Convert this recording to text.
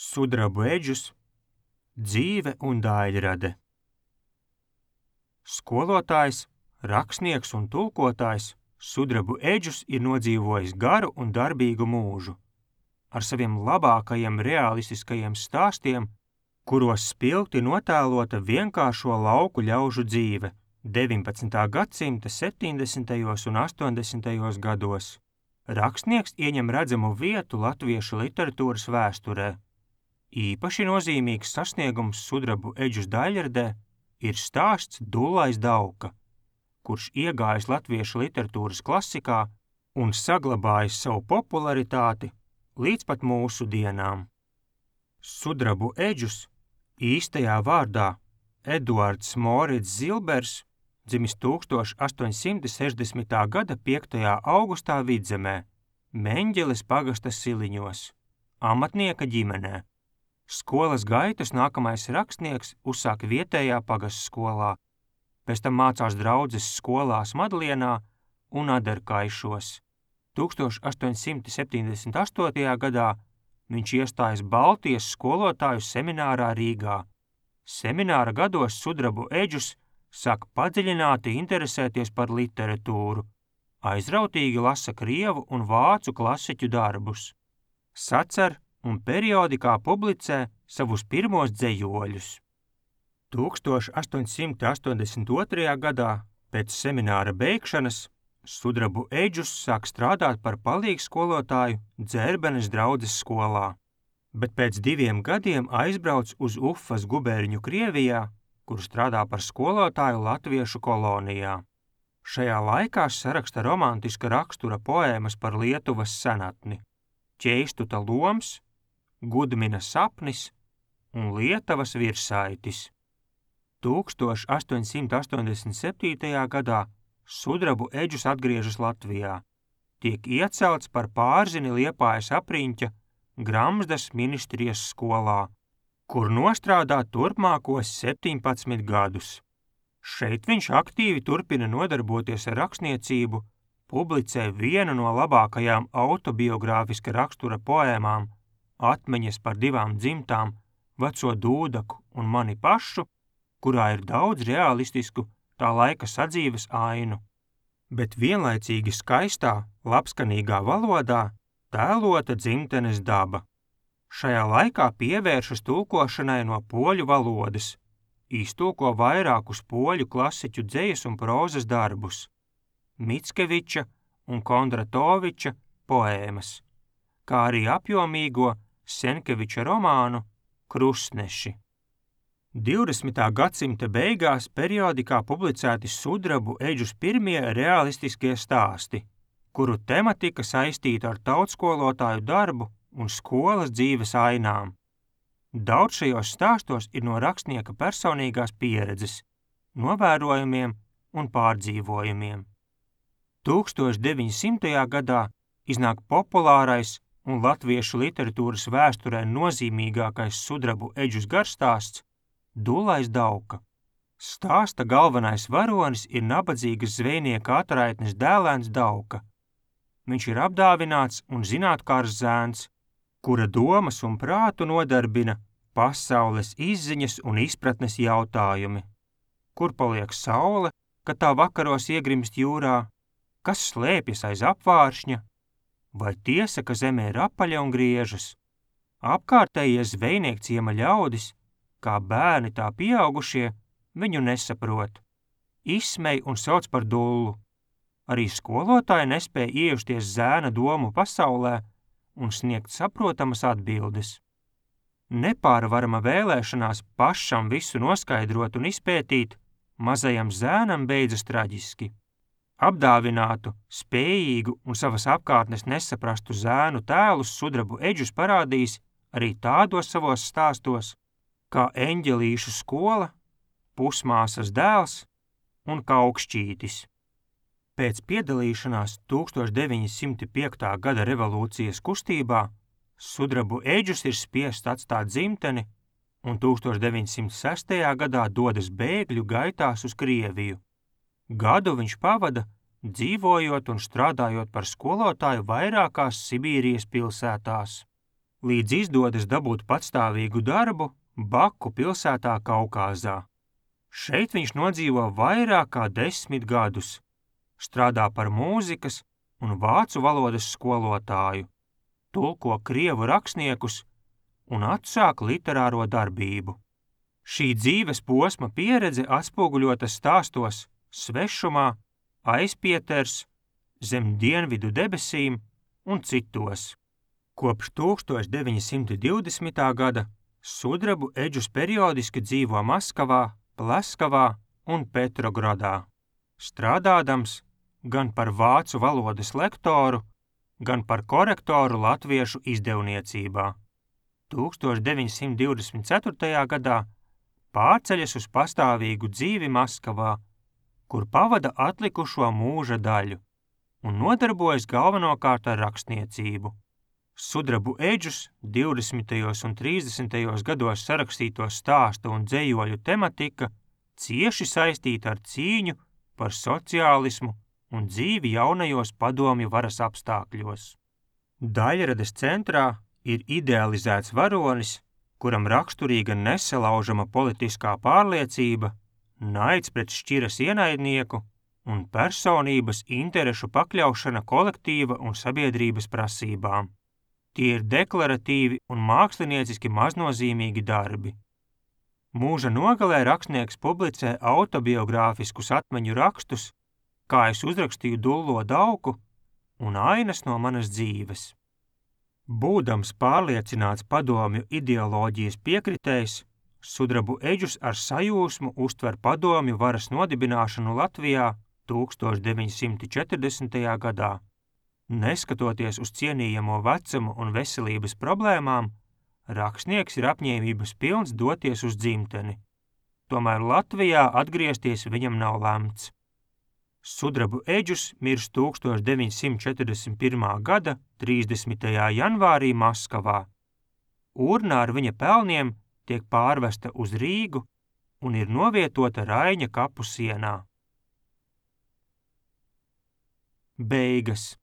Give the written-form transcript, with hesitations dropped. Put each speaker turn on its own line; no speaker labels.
Sudrabu eģus, dzīve un daļrade. Skolotājs, rakstnieks un tulkotājs Sudrabu eģus ir nodzīvojis garu un darbīgu mūžu. Ar saviem labākajiem realistiskajiem stāstiem, kuros spilgti notēlota vienkāršo lauku ļaužu dzīve 19. gadsimta 70. un 80. gados. Rakstnieks ieņem redzamu vietu latviešu literatūras vēsturē. Īpaši nozīmīgs sasniegums Sudrabu eģus daļradē ir stāsts Dullais Dauka, kurš iegājis latviešu literatūras klasikā un saglabājis savu popularitāti līdz pat mūsu dienām. Sudrabu eģus, īstajā vārdā Eduards Morits Zilbers, dzimis 1860. gada 5. augustā Vidzemē, Meņģeles pagasta Siliņos, amatnieka ģimenē. Skolas gaitas nākamais rakstnieks uzsāka vietējā pagastskolā, pēc tam mācās draudzes skolās Madlienā un Aderkaišos. 1878. gadā viņš iestājas Baltijas skolotāju seminārā Rīgā. Semināra gados Sudrabu eģus sāk padziļināti interesēties par literatūru, aizrautīgi lasa krievu un vācu klasiķu darbus, sacer un periodikā publicē savus pirmos dzejoļus. 1882. gadā, pēc semināra beigšanas, Sudrabu eģus sāk strādāt par palīgskolotāju Dzērbenes draudzes skolā, bet pēc 2 gadiem aizbrauc uz Ufas guberņu Krievijā, kur strādā par skolotāju latviešu kolonijā. Šajā laikā saraksta romantiska rakstura poēmas par Lietuvas senatni, Ķeistuta loms, Gudmina sapnis un Lietavas virsaitis. 1887. gadā Sudrabu eģus atgriežas Latvijā, tiek iecelts par pārzini Liepājas apriņķa Gramzdas ministrijas skolā, kur nostrādā turpmākos 17 gadus. Šeit viņš aktīvi turpina nodarboties ar rakstniecību, publicē vienu no labākajām autobiogrāfiska rakstura poēmām Atmiņas par 2 dzimtām, Veco Dūdaku un mani pašu, kurā ir daudz realistisku tā laika sadzīves ainu, bet vienlaicīgi skaistā, labskanīgā valodā tēlota dzimtenes daba. Šajā laikā pievēršas tulkošanai no poļu valodas, iztulko vairākus poļu klasiķu dzejas un prózas darbus, Mickeviča un Kondratoviča poēmas, kā arī apjomīgo Senkeviča romānu Krustneši. 20. gadsimta beigās periodikā publicēti Sudrabu eģus pirmie realistiskie stāsti, kuru tematika saistīta ar tautskolotāju darbu un skolas dzīves ainām. Daudz šajos stāstos ir no rakstnieka personīgās pieredzes, novērojumiem un pārdzīvojumiem. 1900. gadā iznāk populārais un latviešu literatūras vēsturē nozīmīgākais Sudrabu eģus garstāsts Dullais Dauka. Stāsta galvenais varonis ir nabadzīgas zvejnieka atraitnes dēlēns Dauka. Viņš ir apdāvināts un zinātkārs zēns, kura domas un prātu nodarbina pasaules izziņas un izpratnes jautājumi. Kur paliek saule, kad tā vakaros iegrimst jūrā? Kas slēpjas aiz apvāršņa? Vai tiesa, ka zeme ir apaļa un griežas? Apkārtējie zvejniekciema ļaudis, kā bērni tā pieaugušie, viņu nesaprot. Izsmej un sauc par dullu. Arī skolotāji nespēja iejusties zēna domu pasaulē un sniegt saprotamas atbildes. Nepārvarama vēlēšanās pašam visu noskaidrot un izpētīt mazajam zēnam beidzas traģiski. Apdāvinātu, spējīgu un savas apkārtnes nesaprastu zēnu tēlus Sudrabu eģus parādīs arī tādos savos stāstos, kā Eņģelīšu skola, Pusmāsas dēls un Kaukšķītis. Pēc piedalīšanās 1905. gada revolūcijas kustībā Sudrabu eģus ir spiests atstāt dzimteni un 1906. gadā dodas bēgļu gaitās uz Krieviju. Gadu viņš pavada, dzīvojot un strādājot par skolotāju vairākās Sibīrijas pilsētās. līdz izdodas dabūt patstāvīgu darbu Baku pilsētā Kaukāzā. Šeit viņš nodzīvo vairāk kā 10 gadus, strādā par mūzikas un vācu valodas skolotāju, tulko krievu rakstniekus un atsāk literāro darbību. Šī dzīves posma pieredze atspoguļota stāstos Svešumā, Aizpieters, Zem dienvidu debesīm un citos. Kopš 1920. gada Sudrabu Eģus periodiski dzīvo Maskavā, Pleskavā un Petrogradā, strādādams gan par vācu valodas lektoru, gan par korektoru latviešu izdevniecībā. 1924. gadā pārceļas uz pastāvīgu dzīvi Maskavā, kur pavada atlikušo mūža daļu un nodarbojas galvenokārt ar rakstniecību. Sudrabu Eģus 20. un 30. gados sarakstīto stāstu un dzejoļu tematika cieši saistīta ar cīņu par sociālismu un dzīvi jaunajos padomju varas apstākļos. Daļrades centrā ir idealizēts varonis, kuram raksturīga nesalaužama politiskā pārliecība, naids pret šķiras ienaidnieku un personības interešu pakļaušana kolektīva un sabiedrības prasībām. Tie ir deklaratīvi un mākslinieciski maznozīmīgi darbi. Mūža nogalē rakstnieks publicē autobiogrāfiskus atmiņu rakstus, kā es uzrakstīju Dullo Dauku un Ainas no manas dzīves. Būdams pārliecināts padomju ideoloģijas piekritējs, Sudrabu Eģus ar sajūsmu uztver padomju varas nodibināšanu Latvijā 1940. gadā. Neskatoties uz cienījamo vecumu un veselības problēmām, rakstnieks ir apņēmības pilns doties uz dzimteni. Tomēr Latvijā atgriezties viņam nav lemts. Sudrabu Eģus mirst 1941. gada 30. janvārī Maskavā. Urna ar viņa pelniem tiek pārvesta uz Rīgu un ir novietota Raiņa kapu sienā. Beigas.